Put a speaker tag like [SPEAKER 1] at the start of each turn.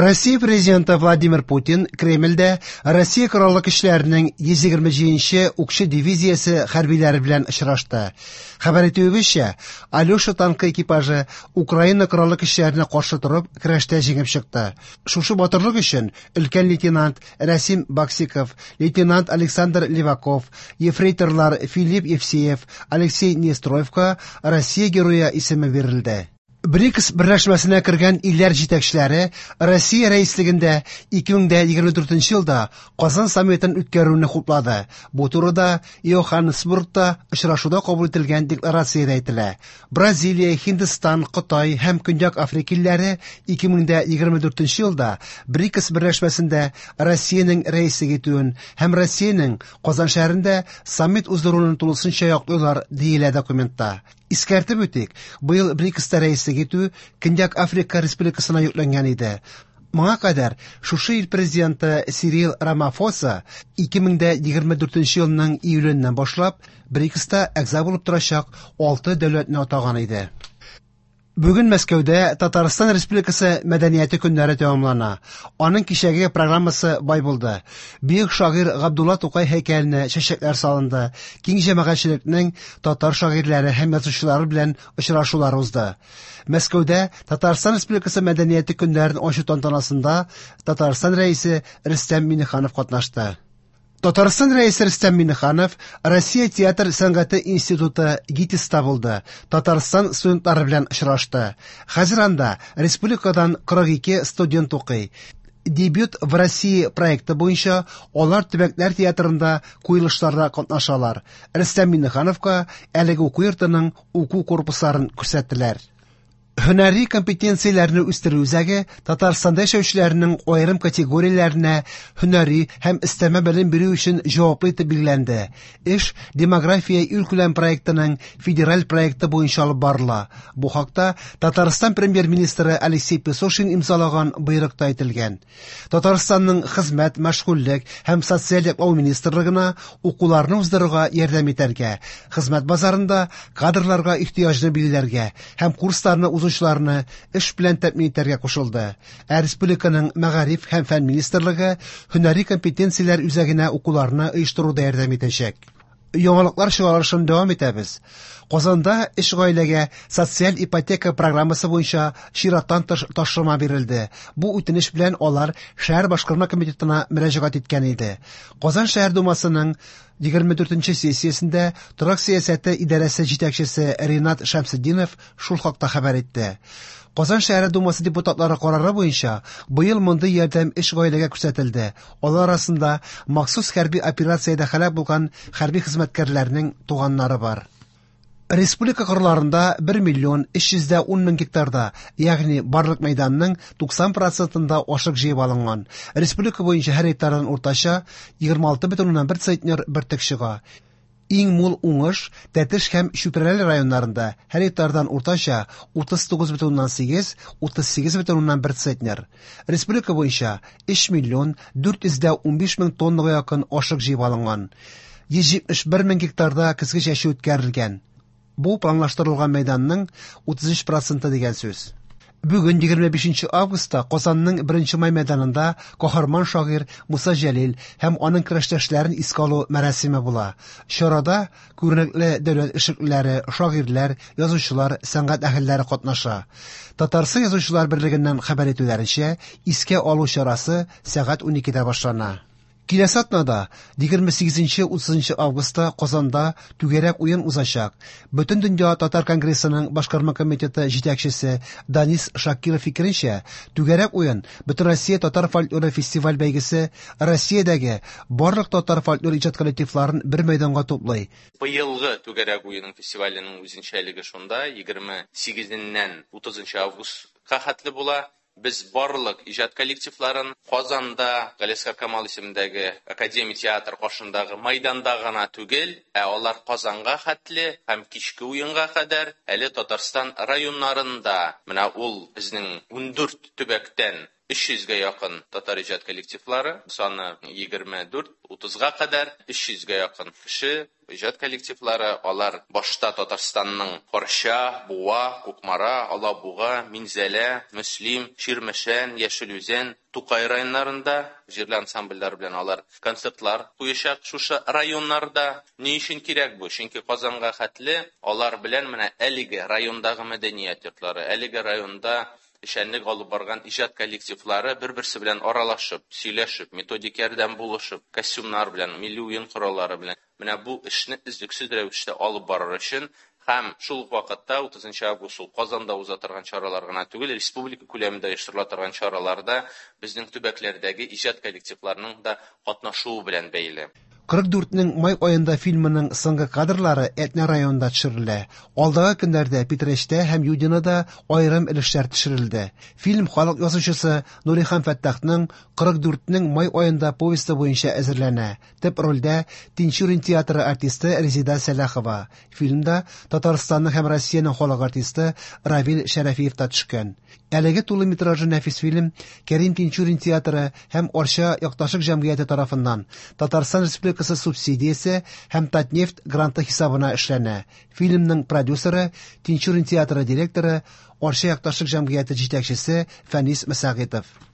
[SPEAKER 1] Россия президенты Владимир Путин Кремльдә Россия Кораллы Көчләренең 127 нче укчы дивизиясе хәрбиләре белән очрашты. Хәбәр итүебезчә, Алеша танкы экипажы Украина Кораллы Көчләренә каршы торып, көрәштә җиңеп чыкты. Шушы батырлык өчен өлкән лейтенант Рәсим Баксиков, лейтенант Александр Леваков, ефрейторлар Филипп Евсеев, Алексей Нестроевка Россия Герое исеме бирелде. БРИКС берләшмәсенә кергән илләр җитәкчеләре Россия рәислегендә 2024 елда Казан саммитын үткәрүне хуплады. Бу турыда Йоханнесбургта очрашуда кабул ителгән декларациядә әйтелә. Бразилия, Һиндстан, Кытай һәм Көньяк Африка илләре 2024 елда БРИКС берләшмәсендә Россиянең рәислек итүен һәм Россиянең Казан шәһәрендә саммит уздыруын тулысынча яклыйлар, диелә документта. Искәртеп үтик, быел БРИКСта рәислек итү Көньяк Африка Республикасына йөкләнгән иде. Моңа кадәр шушы ил президенты Сирил Рамафоса 2024 елның июленнән башлап БРИКСта әгъза булып торачак 6 дәүләтне атаган иде. Бүген Мәскәүдә Татарстан Республикасы мәдәнияте көннәре тәмамлана. Аның кичәге программасы бай булды. Бөек шагыйрь Габдулла Тукай һәйкәленә чәчәкләр салынды. Киң җәмәгатьчелекнең татар шагыйрьләре һәм язучылары белән очрашулар узды. Мәскәүдә Татарстан Республикасы мәдәнияте көннәрен ачу тантанасында Татарстан Рәисе Рөстәм Миңнеханов катнашты. Татарстан Рәисе Рөстәм Миңнеханов Россия театр сәнгате институты ГИТИСта булды, Татарстан студентлары белән очрашты. Хәзер анда республикадан 42 студент укый. Дебют в России проекты буенча алар төбәкләр театрында куелышларда катнашалар. Рөстәм Миңнехановка әлеге уку йортының уку корпусларын күрсәттеләр. Һөнәри компетенцияләрне үстерү үзәге Татарстанда яшәүчеләрнең аерым категорияләренә һөнәри һәм өстәмә белем бирү өчен җаваплы итеп билгеләнде. Эш Демография илкүләм проектының федераль проекты буенча алып барыла. Бу хакта Татарстан премьер-министры Алексей Песошин имзалаган боерыкта әйтелгән. Татарстанның Хезмәт, мәшгульлек һәм социаль яклау министрлыгына укуларны уздыруга ярдәм итәргә, хезмәт базарында кадрларга ихтыяҗны билгеләргә һәм курсларны узучыларны эш белән тәэмин итәргә кушылды. Ә республиканың Мәгариф һәм фән министрлыгы һөнәри компетенцияләр үзәгенә укуларны оештыруда ярдәм итәчәк. Яңалыклар чыгарылышын дәвам итәбез. Казанда өч гаиләгә социаль ипотека программасы буенча чираттан тыш ташлама бирелде. Бу үтенеч белән алар шәһәр башкарма комитетына мөрәҗәгать иткән иде. Казан шәһәр думасының 24 сессиясендә торак сәясәте идарәсе җитәкчесе Ринат Шәмсетдинов шул хакта хәбәр итте. Казан шәһәре думасы депутатлары карары буенча быел мондый ярдәм өч гаиләгә күрсәтелде. Алар арасында махсус хәрби операциядә һәлак булган хәрби хезмәткәрләрнең туганнары бар. Республика кырларында 1 миллион 310 мең гектарда, ягъни барлык мәйданның 90 процентында ашык җыеп алынган. Республика буенча һәр гектардан уртача 26,1 центнер бөртек чыга. Иң мул уңыш Тәтеш һәм Чүпрәле районнарында һәр гектардан уртача 39,8 38,1 центнер. Республика буенча 3 миллион 415 мең тоннага якын ашык җыеп алынган. 171 мең гектарда көзге чәчү үткәрелгән. Бу планлаштырылган мәйданның 33 проценты дигән сүз. Бүген 25 августта Казанның 1 май мәйданында каһарман шагыйрь Муса Җәлил һәм аның көрәштәшләрен искә алу мәрасиме була. Чарада күренекле дәүләт эшлеклеләре, шагыйрьләр, язучылар, сәнгать әһелләре катнаша. Татарстан язучылар берлегеннән хәбәр итүләренчә, искә алу чарасы сәгать 12дә башлана. Киләсе атнада 28-30 августта Казанда түгәрәк уен узачак. Бөтендөнья татар конгрессының башкарма комитеты җитәкчесе Данис Шакиров фикеренчә, түгәрәк уен Бөтенроссия татар фольклоры фестиваль бәйгесе Россиядәге барлык татар фольклор иҗат коллективларын бер мәйданга туплый.
[SPEAKER 2] Быелгы түгәрәк уеның фестиваленең үзенчәлеге шунда, 28-ннән 30 августка хәтле була. Без барлык иҗат коллективларын Казанда Галиәсгар Камал исемендәге академия театр каршындагы майданда гына түгел, ә алар Казанга хәтле һәм кичке уенга кадәр әле Татарстан районнарында, менә ул безнең 14 төбәктән 300 гә якын татар иҗат коллективлары, саны 24-30 га кадәр, 300 гә якын кеше, иҗат коллективлары, алар башта Татарстанның Арча, Буа, Кукмара, Алабуга, Минзәлә, Мөслим, Чирмешән, Яшел Үзән, Тукай районнарында җирле ансамбльләр белән алар концертлар куячак шушы районнарда. Ни өчен кирәк бу? Чөнки Казанга хәтле алар белән менә әлеге райондагы мәдәният йортлары, әлеге районда эшчәнлек алып барган иҗат коллективлары бер-берсе белән аралашып, сөйләшеп, методик ярдәм булышып, костюмнар белән, милли уен кораллары белән менә бу эшне өзлексез рәвештә алып барыр өчен һәм шул ук вакытта 30 август ул Казанда уза торган чаралар гына түгел, республика күләмендә оештырыла торган чараларда безнең төбәкләрдәге иҗат коллективларының да катнашуы белән бәйле.
[SPEAKER 1] 44-нең май аенда фильмының соңгы кадрлары Әтнә районында төшерелә. Алдагы көннәрдә Питрәчтә һәм Юдинода аерым өлешләр төшерелде. Фильм халык язучысы Нурихан Фәттахның 44-нең май аенда повесте буенча әзерләнә. Төп рольдә Тинчурин театры артисты Резеда Сәлахова. Фильмда Татарстанның һәм Россиянең халык артисты Равил Шәрәфиев та төшкән. Әлеге тулы метражлы нәфис фильм Кәрим Тинчурин театры һәм Арча якташлык җәмгыяте тарафыннан Татарстан Республикасы субсидиясе һәм Татнефть гранты хисабына эшләнә. Фильмның продюсеры Тинчурин театры директоры, Арча якташлык җәмгыяте җитәкчесе Фәнис Мәсәгыйтов.